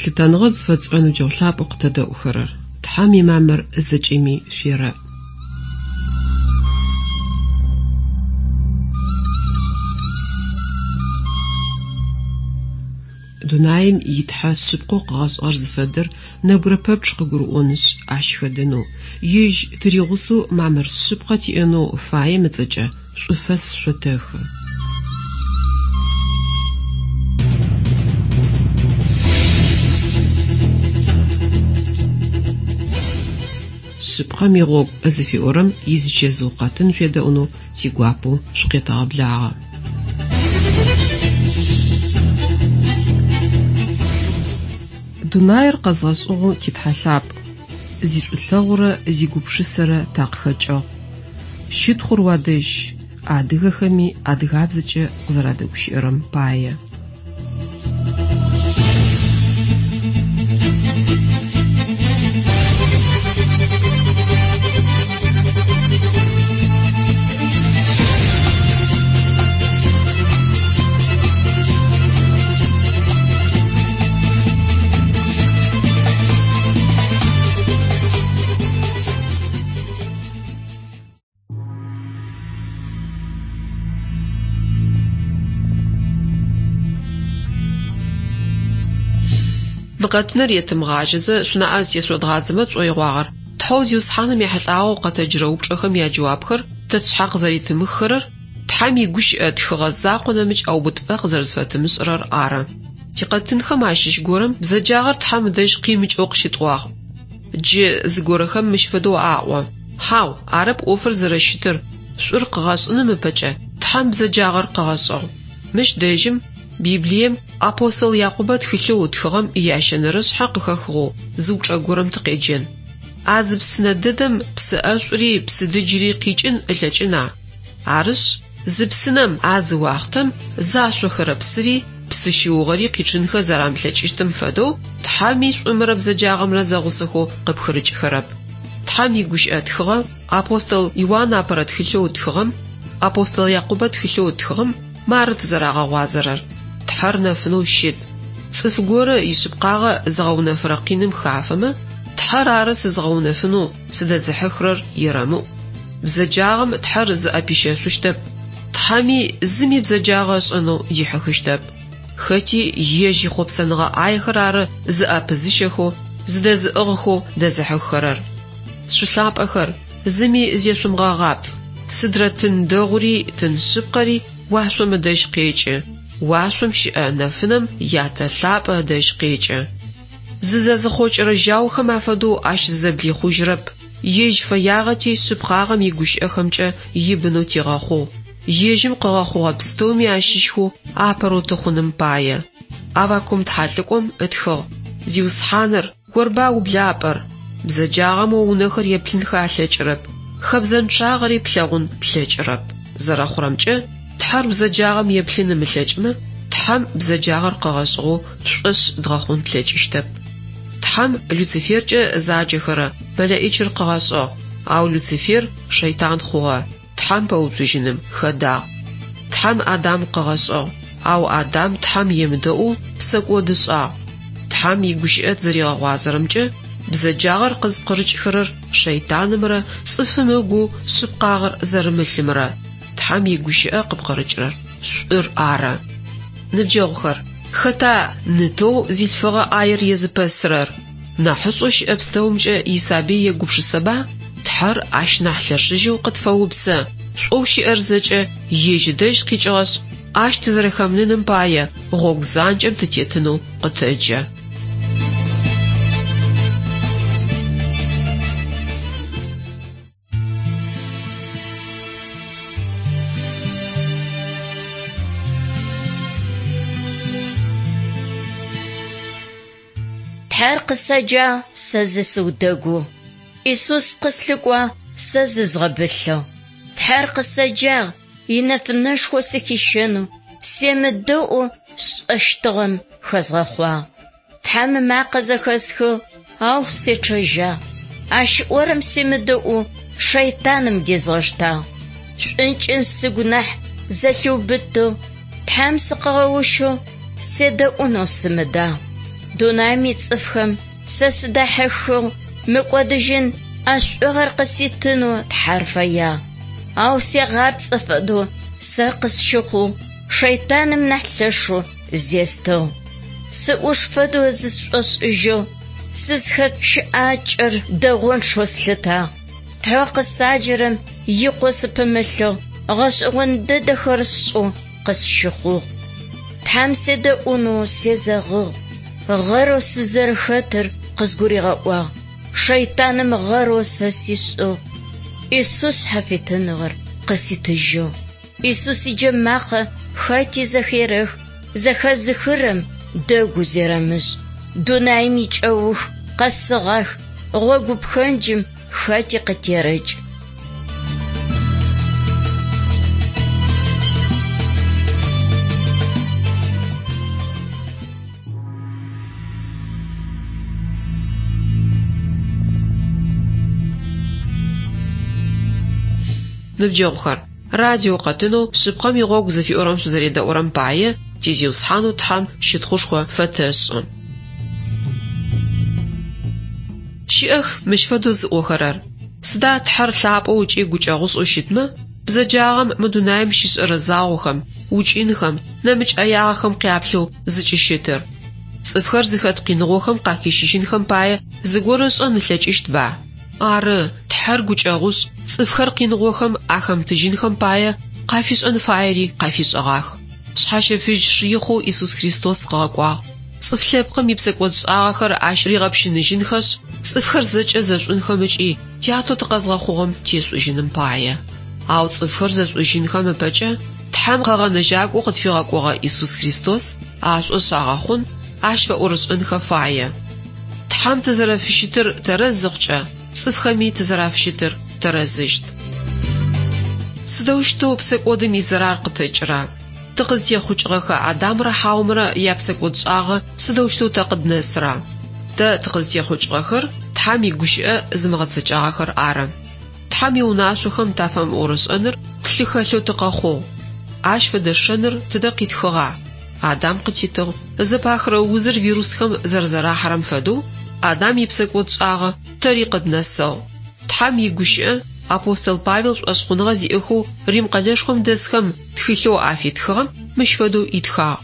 Лъытэныгъэ зыфэтшӏырэ ныбджэгъу лъапӏэу къытэдэӏухэрэр, Тхьэм имамыр зэкӏэми шъуерэӏ. Дунаим и Тхьэ шъыпкъэу къыгъэшӏыгъэр зыфэдэр нэбгырэ пэпчъ къыгурыӏонышъ, ащ хэдэнэу, ежь тыригъусэу мамыр шъыпкъэ тиӏэнэу фаем ыцӏэкӏэ шӏуфэс шъотэхы. Шъыпкъэм игъогу зыфиӏорэм изычэзыу къэтын шъуедэӏунэу тигуапэу шъукъетэгъэблагъэ. Дунаир къэзгъэшӏыгъэу ти Тхьэ лъапӏ, зишӏулъэгъурэ зигупшысэрэ такъыхэкӏыгъ. Щытхъур уадэжь, адыгэхэми адыгабзэкӏэ къызэрадэгущыӏэрэм пае. Мы къэтыныр етымыгъажьэзэ, шъунаӏэ зытешъодгъадзэмэ тшӏоигъуагъэр Тхьэу Зиусхьаным ехьылӏагъэу къэтэджырэ упчӏэхэм яджэуапхэр тэ тшъхьэ къызэритымыххэрэр, Тхьэм игущыӏэ тхыгъэ закъо нэмыкӏ ӏэубытыпӏэ къызэрэзфэтымышӏырэр ары. Тикъэтынхэм ащыщ горэм бзэджагъэр Тхьэм ыдэжь къимыкӏэу къыщытӏуагъ. Джы зыгорэхэм мыщ фэдэу аӏо: Хьау, арэп ӏофыр зэрэщытыр, шӏур къыгъэшӏыным ыпэкӏэ Тхьэм бзэджагъэр къыгъэшӏыгъ. Мыщ дэжьым Библием апостол Якъубэ тхылъэу ытхыгъэм иящэнэрэ шъхьэ къыхэхыгъэу зы упчӏэ горэм тыкъеджэн. А зы псынэ дэдэм псы ӏэшӏури псы дыджыри къикӏын ылъэкӏына? Арышъ, зы псынэм а зы уахътэм зашъохэрэ псыри псы щыугъэри къичъынхэ зэрамылъэкӏыщтым фэдэу, Тхьэми шӏумрэ бзэджагъэмрэ зэгъусэхэу къыпхырыкӏхэрэп. Тхьэм игущыӏэ тхыгъэ апостол Иуан апэрэ тхылъэу ытхыгъэм, апостол Якъубэ тхылъэу ытхыгъэм мары тызэрагъэгъуазэрэр, Тхьэр нэфынэу щыт. Цӏыф горэ ишъыпкъагъэ зыгъэунэфырэ къиным хафэмэ, Тхьэр ары сызгъэунэфынэу сыдэзыхьыхырэр ерэмыӏу. Бзэджагъэм Тхьэр зыӏэпищэшъущтэп, Тхьэми зыми бзэджагъэ ышӏэнэу дихьыхыщтэп. Хэти ежь ихъопсэныгъэ ӏаехэр ары зыӏэпызыщэхэу, зыдэзыӏыгъхэу дэзыхьыххэрэр. Сшы лъапӏэхэр, зыми зешъумыгъэгъапцӏ, сыдрэ тын дэгъури тын шъыпкъэри уашъом ыдэжь къекӏы, уашъом щыӏэ нэфынэм Ятэ лъапӏэ ыдэжь къекӏы. Зызэзыхъокӏырэ жьаухэм афэдэу ащ зызэблихъужьырэп, ежь фэягъэти шъыпкъагъэм игущыӏэхэмкӏэ ибынэу тигъэхъугъ, ежьым къыгъэхъугъэ пстэуми ащыщхэу апэрэу тыхъуным пае. Аввакум тхьэлӏыкӏом ытхыгъ, Зиусхьаныр, Орба ублапӏэр, бзэджагъэм о унэхэр еплъынхэ алъэкӏырэп, хэбзэнчъагъэри плъэгъун плъэкӏырэп. Зэрэхъурэмкӏэ, Тхьэр бзэджагъэм еплъын ымылъэкӏымэ, Тхьэм бзэджагъэр къыгъэшӏыгъэу тшӏошъ дгъэхъун тлъэкӏыщтэп. Тхьэм Люциферкӏэ заджэхэрэ мэлэӏичыр къыгъэшӏыгъ, ау Люцифер шэйтан хъугъэ, Тхьэм пэуцужьыным хэдагъ. Тхьэм Адам къыгъэшӏыгъ, ау Адам Тхьэм емыдэӏоу псэкӏод ышӏагъ. Тхьэм игущыӏэ тызэригъэгъуазэрэмкӏэ, бзэджагъэр къызпкъырыкӏхэрэр шэйтанымрэ цӏыфым ыгу шъыпкъагъэр зэрымылъымрэ, Тхьэм игущыӏэ къыпкъырыкӏырэр шӏур ары. Ныбджэгъухэр, хэта ны-тэу зилъфыгъэ ӏаер езыпэсырэр? Нахьышӏоу щыӏэ пстэумкӏэ исабый егупшысэба? Тхьэр ащ нахь лъэшыжьэу къытфэупсэ, шӏоу щыӏэр зэкӏэ ежь ыдэжь къикӏыгъэшъ, ащ тызэрэхэмыныным пае гъогу занкӏэм тытетынэу къытэджэ. Тхьэр къысэджагъ, сэ зысыудэгугъ. Исус къыслъыкӏуагъ, сэ зызгъэбылъыгъ. Тхьэр къысэджагъ, инэфынэшхо сыхищэнэу, семыдэӏоу сшӏэщтыгъэм хэзгъэхъуагъ. Тхьэм ымакъэ зэхэсхыгъ, ау сечъэжьагъ. Ащ ыӏорэм семыдэӏоу шэйтаным дезгъэштагъ. Шӏункӏым сыгу нахь зэлъиубытыгъ, Тхьэм сыкъыгъэущэу седэӏунэу сымыдагъ. Дунаим ицӏыфхэм сэ сыдахьыхыгъ, мыкӏодыжьын ӏэшӏугъэр къыситынэу Тхьэр фэягъ. Ау сегъапцӏэ фэдэу сэ къысщыхъугъ, шэйтаным нахь лъэшэу зестыгъ. Сыӏуш фэдэу зысшӏошӏыжьыгъ, сызхэт щыӏакӏэр дэгъончъэу слъытагъ. Тхьэу къысаджэрэм икъоу сыпымылъыгъ, гъэшӏэгъон дэдэхэр сшӏэу къысщыхъугъ. Тхьэм седэӏунэу сезэгъыгъ, гъэрэу сызэрыхэтыр къызгуригъэӏуагъ. Шэйтаным гъэрэу сэ сишӏыгъ. Исус шъхьафитыныгъэр къыситыжьыгъ. Исус иджэмакъэ хэти зэхерэх, зэхэзыхырэм дэгу зерэмышӏ. Дунаим икӏэух къэсыгъах, гъогу пхэнджым хэти къытерэкӏ. Ныбджэгъухэр, радио къэтынэу Шъыпкъэм игъогу зыфиӏорэм шъузэредэӏурэм пае ти Зиусхьанэу Тхьэм щытхъушхо фэтэшӏы. Щыӏэх мыщ фэдэу зыӏохэрэр: Сыда Тхьэр лъапӏэу ыкӏи гукӏэгъушӏэу щытмэ, бзэджагъэм мы дунаим щишӏэрэ загъохэм, укӏынхэм, нэмыкӏ ӏэягъэхэм къяплъэу зыкӏыщытыр? Цӏыфхэр зыхэт къиныгъохэм къахищыжьынхэм пае зыгорэ ышӏэн ылъэкӏыщтба? Ары, Тхьэр гукӏэгъушӏ, цӏыфхэр къиныгъохэм ахэмытыжьынхэм пае къафишӏэн фаери къафишӏэгъах. Шъхьащэфыжь Шыихъэу Исус Христос къыгъэкӏуагъ. Цӏыф лъэпкъым ипсэкӏодшӏагъэхэр ащ ригъэпщыныжьынхэшъ, цӏыфхэр зэкӏэ зэшӏунхэм ыкӏи Тятэу тыкъэзгъэхъугъэм тешӏужьыным пае. Ау цӏыфхэр зэшӏужьынхэм ыпэкӏэ Тхьэм къэгъэнэжьакӏоу къытфигъэкӏогъэ Исус Христос ашӏошъ агъэхъун, ащ фэӏорышӏэнхэ фае. Тхьэм тызэрэфыщытыр тэрэз зыхъукӏэ, цӏыфхэми тызэрафыщытыр тэрэзыщт. Сыдэущтэу псэкӏодым изэрар къытэкӏыра? Тыкъызтехъукӏыгъэхэ Адамрэ Хьаомрэ япсэкӏодшӏагъэ сыдэущтэу тэ къыднэсыра? Тэ тыкъызтехъукӏыгъэхэр Тхьэм игущыӏэ зымыгъэцэкӏагъэхэр ары. Тхьэм иунашъохэм тафэмыӏорышӏэныр тлъы хэлъэу тыкъэхъугъ. Ащ фэдэ шэныр тыдэ къитхыгъа? Адам къытитыгъ. Зэпахырэ узыр вирусхэм зэрэзэрахьэрэм фэдэу, Адам ипсэкӏодшӏагъэ тэри къыднэсыгъ. Тхьэм игущыӏэ апостол Павел шӏошъхъуныгъэ зиӏэхэу Рим къэлэшхом дэсхэм тхылъэу афитхыгъэм мыщ фэдэу итхагъ: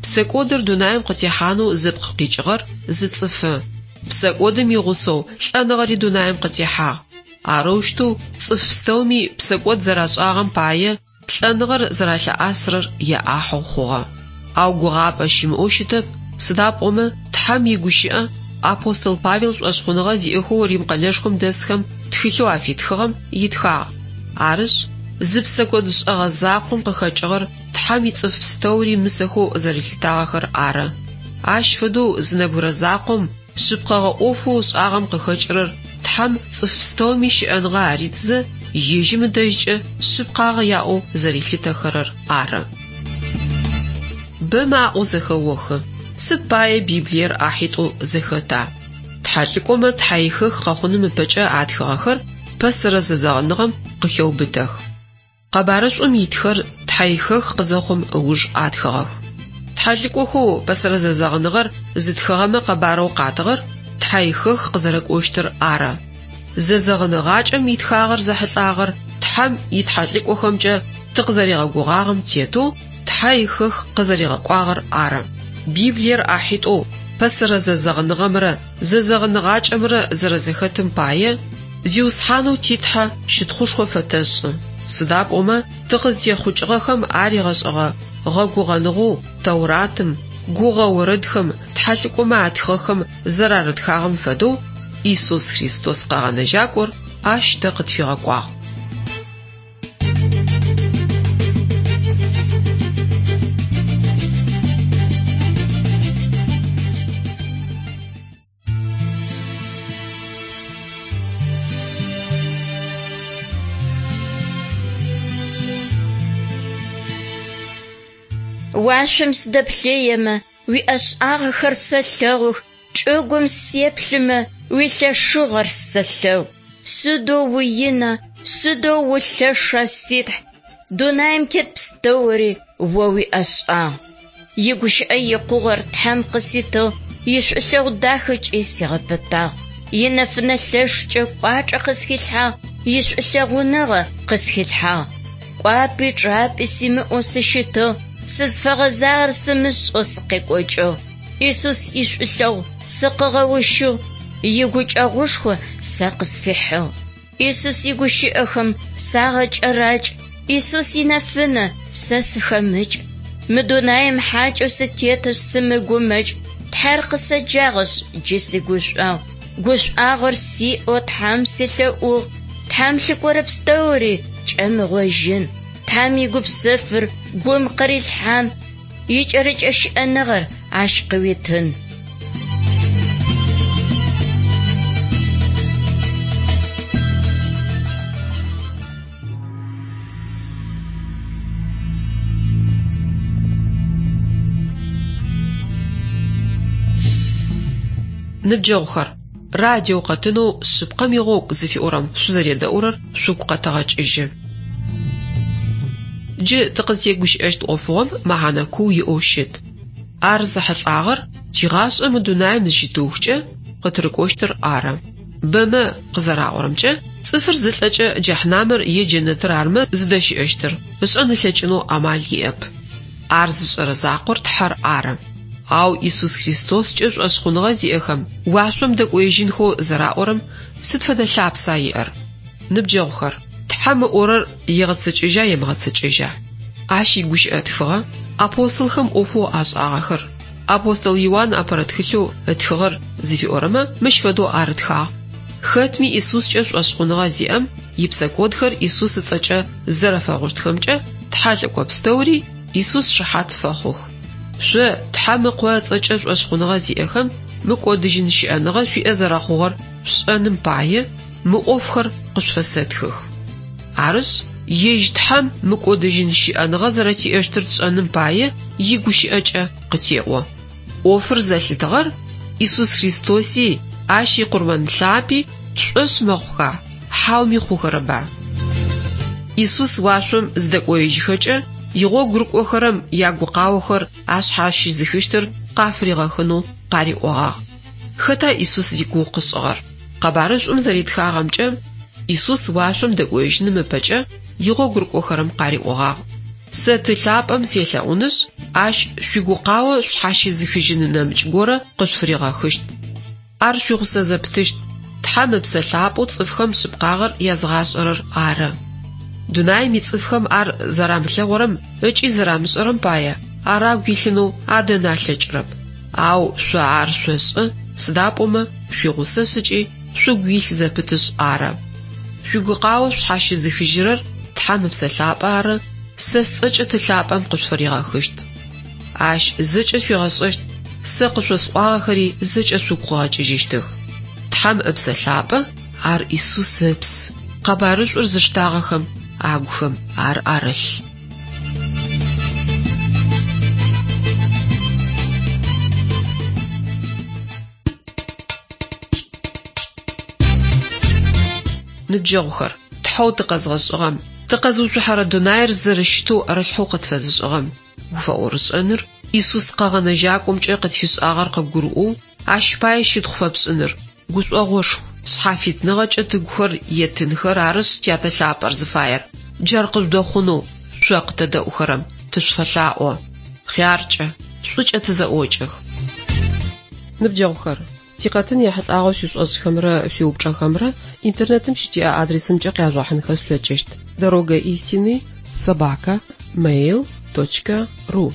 Псэкӏодыр дунаим къытехьанэу зыпкъ къикӏыгъэр зы цӏыфы. Псэкӏодым игъусэу лӏэныгъэри дунаим къытехьагъ. Арэущтэу цӏыф пстэуми псэкӏод зэрашӏагъэм пае лӏэныгъэр зэралъыӏасырэр яӏахьэу хъугъэ. Ау гугъапӏэ щымыӏэу щытэп, сыда пӏомэ Тхьэм игущыӏэ апостол Павел шӏошъхъуныгъэ зиӏэхэу Рим къэлэшхом дэсхэм тхылъэу афитхыгъэм итхагъ. Арышъ, зы псэкӏодшӏэгъэ закъом къыхэкӏыгъэр Тхьэм ицӏыф пстэури мысэхэу зэрилъытагъэхэр ары. Ащ фэдэу зы нэбгырэ закъом шъыпкъэгъэ ӏофэу ышӏагъэм къыхэкӏырэр Тхьэм цӏыф пстэуми щыӏэныгъэ аритызэ, ежьым ыдэжькӏэ шъыпкъагъэ яӏэу зэрилъытэхэрэр ары. Бэмэ аӏоу зэхэохы: Сыд пае Библиер ӏахьитӏоу зэхэта? Тхьэлӏыкӏомэ тхьэихэх къэхъуным ыпэкӏэ атхыгъэхэр пэсэрэ зэзэгъыныгъэм къыхеубытэх. Къэбарышӏум итхэр тхьэихэх къызэхъум ыуж атхыгъэх. Тхьэлӏыкӏохэу пэсэрэ зэзэгъыныгъэр зытхыгъэмэ къэбарэу къатыгъэр тхьэихэх къызэрэкӏощтыр ары. Зэзэгъыныгъакӏэм итхагъэр зэхьылӏагъэр Тхьэм итхьэлӏыкӏохэмкӏэ тыкъызэригъэгугъагъэм тетэу тхьэихэх къызэригъэкӏуагъэр ары. Библиер ӏахьитӏоу пэсэрэ зэзэгъыныгъэмрэ зэзэгъыныгъакӏэмрэ зэрэзэхэтым пае Зиусхьанэу ти Тхьэ щытхъушхо фэтэшӏы. Сыда пӏомэ тыкъызтехъукӏыгъэхэм аригъэшӏыгъэ гъэгугъэныгъэу Тэуратым, гугъэ орэдхэм, тхьэлӏыкӏомэ атхыгъэхэм зэрарытхагъэм фэдэу Исус Христос Къэгъэнэжьакӏор ащ тэ къытфигъэкӏуагъ. Уашъом сыдэплъыемэ, уиӏэшӏагъэхэр сэлъэгъух, чӏыгум сеплъымэ, уилъэшыгъэр сэлъэгъу. Сыдэу уина, сыдэу улъэша, си Тхь! Дунаим тет пстэури о уиӏэшӏагъ. Игущыӏэ икъугъэр Тхьэм къыситыгъ. Ишӏулъэгъу дахэкӏи сигъэпытагъ. Инэфынэ лъэшкӏэ кӏуачӏэ къысхилъхьагъ, Ишӏулъэгъуныгъэ къысхилъхьагъ. Кӏуапӏи чъапӏи симыӏэу сыщытыгъ, Сызфэгъэзагъэр сымышӏэу сыкъекӏокӏыгъ. Исус ишӏулъэгъу сыкъыгъэущыгъ, Игукӏэгъушхо сэ къысфихьыгъ. Исус игущыӏэхэм сагъэкӏэракӏ, Исус инэфынэ сэ сыхэмыкӏ. Мы дунаим хьакӏэу сытетышъ сымыгумэкӏ, Тхьэр къысэджагъэшъ джы сигушӏуагъу. Гушӏуагъор сиӏэу Тхьэм селъэӏугъ, Тхьэм лъыкӏорэ пстэури кӏэмыгъожьын, Тхьэм игупсэфыр гум къырилъхьан, Икӏэрыкӏэ щыӏэныгъэр ащ къыуитын. Ныбджэгъухэр, радио къэтынэу Шъыпкъэм игъогу зыфиӏорэм шъузэредэӏурэр шъугу къэтэгъэкӏыжьы. Джы тыкъызтегущыӏэщт ӏофыгъом мэхьанэ куу иӏэу щыт. Ар зэхьылӏагъэр тигъашӏэ мы дунаим зыщытыухкӏэ къытырыкӏощтыр ары. Бэмэ къызэраӏорэмкӏэ, цӏыфыр зылӏэкӏэ джэхьнамэр е джэнэтыр армэ зыдэщыӏэщтыр, ышӏэн ылъэкӏынэу амал иӏэп. Ар зышӏэрэ закъор Тхьэр ары. Ау Исус Христоскӏэ шӏошъхъуныгъэ зиӏэхэм уашъом дэкӏоежьынхэу зэраӏорэм сыд фэдэ лъапса иӏэр? Ныбджэгъухэр, Тхьэм ыӏорэр егъэцэкӏэжьа емыгъэцэкӏэжьа? Ащ игущыӏэ тхыгъэ апостолхэм ӏофэу ашӏагъэхэр, апостол Иуан апэрэ тхылъэу ытхыгъэр зыфиӏорэмэ мыщ фэдэу арытхагъ, Хэтми Исускӏэ шӏошъхъуныгъэ зиӏэм ипсэкӏодхэр Исус ыцӏэкӏэ зэрэфэгъущтхэмкӏэ тхьэлӏыкӏо пстэури Исус шыхьат фэхъух. Шъо, Тхьэм Ыкъо ыцӏэкӏэ шӏошъхъуныгъэ зиӏэхэм мыкӏодыжьын щыӏэныгъэ шъуиӏэ зэрэхъугъэр шъушӏэным пае, мы ӏофхэр къышъуфэсэтхых. Арышъ, ежь Тхьэм мыкӏодыжьын щыӏэныгъэ зэрэтиӏэщтыр тшӏэным пае игущыӏэкӏэ къытеӏо. ӏофыр зэлъытыгъэр Исус Христоси Ащ икъурмэн лъапӏи тшӏошъ мэхъуха, хьауми хъухэрэба? Исус уашъом зыдэкӏоежьыхэкӏэ, игъогу рыкӏохэрэм ягукъаохэр ашъхьащызыхыщтыр къафыригъэхынэу къариӏогъагъ. Хэта Исус зигугъу къышӏыгъэр? Къэбарышӏум зэритхагъэмкӏэ, Исус уашъом дэкӏоежьыным ыпэкӏэ игъогу рыкӏохэрэм къариӏогъагъ, Сэ Ты лъапӏэм селъэӏунышъ, ащ шъуигукъао шъхьащызыхыжьын нэмыкӏ горэ къышъуфыригъэхыщт. Ар шъуигъусэ зэпытыщт, Тхьэм Ыпсэ Лъапӏэу цӏыфхэм шъыпкъагъэр языгъашӏэрэр ары. Дунаим ицӏыфхэм ар зэрамылъэгъурэм ыкӏи зэрамышӏэрэм пае ар агу илъынэу адэн алъэкӏырэп. Ау шъо ар шъошӏэ, сыда пӏомэ шъуигъусэшъ ыкӏи шъугу илъ зэпытышъ ары. Шъуигукъао шъхьащызыхыжьырэр Тхьэм Ыпсэ Лъапӏэ ары, сэ сцӏэкӏэ Ты лъапӏэм къышъуфыригъэхыщт. Ащ зэкӏэ шъуигъэшӏэщт, сэ къышъосӏуагъэхэри зэкӏэ шъугу къыгъэкӏыжьыщтых. Тхьэм Ыпсэ Лъапӏэ, ар Исус Ыпс, къэбарышӏур зыштагъэхэм агухэм ар арылъ. Ныбджэгъухэр, Тхьэу тыкъэзгъэшӏыгъэм, тыкъэзыуцухьэрэ дунаир зэрэщытэу ӏэрылъхьэу къытфэзышӏыгъэм уфэӏорышӏэныр, Исус Къэгъэнэжьакӏомкӏэ къытфишӏагъэр къыбгурыӏоу, ащ пае щытхъу фэпшӏыныр, гушӏогъошху, шъхьафитныгъэкӏэ тыгухэр етынхэр арышъ Тятэ лъапӏэр зыфаер. Джар къыжъудэхъунэу шъо къытэдэӏухэрэм тышъуфэлъаӏо. Хъяркӏэ, шӏукӏэ тызэӏокӏэх. Ныбджэгъухэр, тикъэтын ехьылӏагъэу шъуишӏошӏхэмрэ шъуиупчӏэхэмрэ интернетым щытиӏэ адресымкӏэ къяжъугъэхьынхэ шъулъэкӏыщт: Дорога истины собака mail точка ру.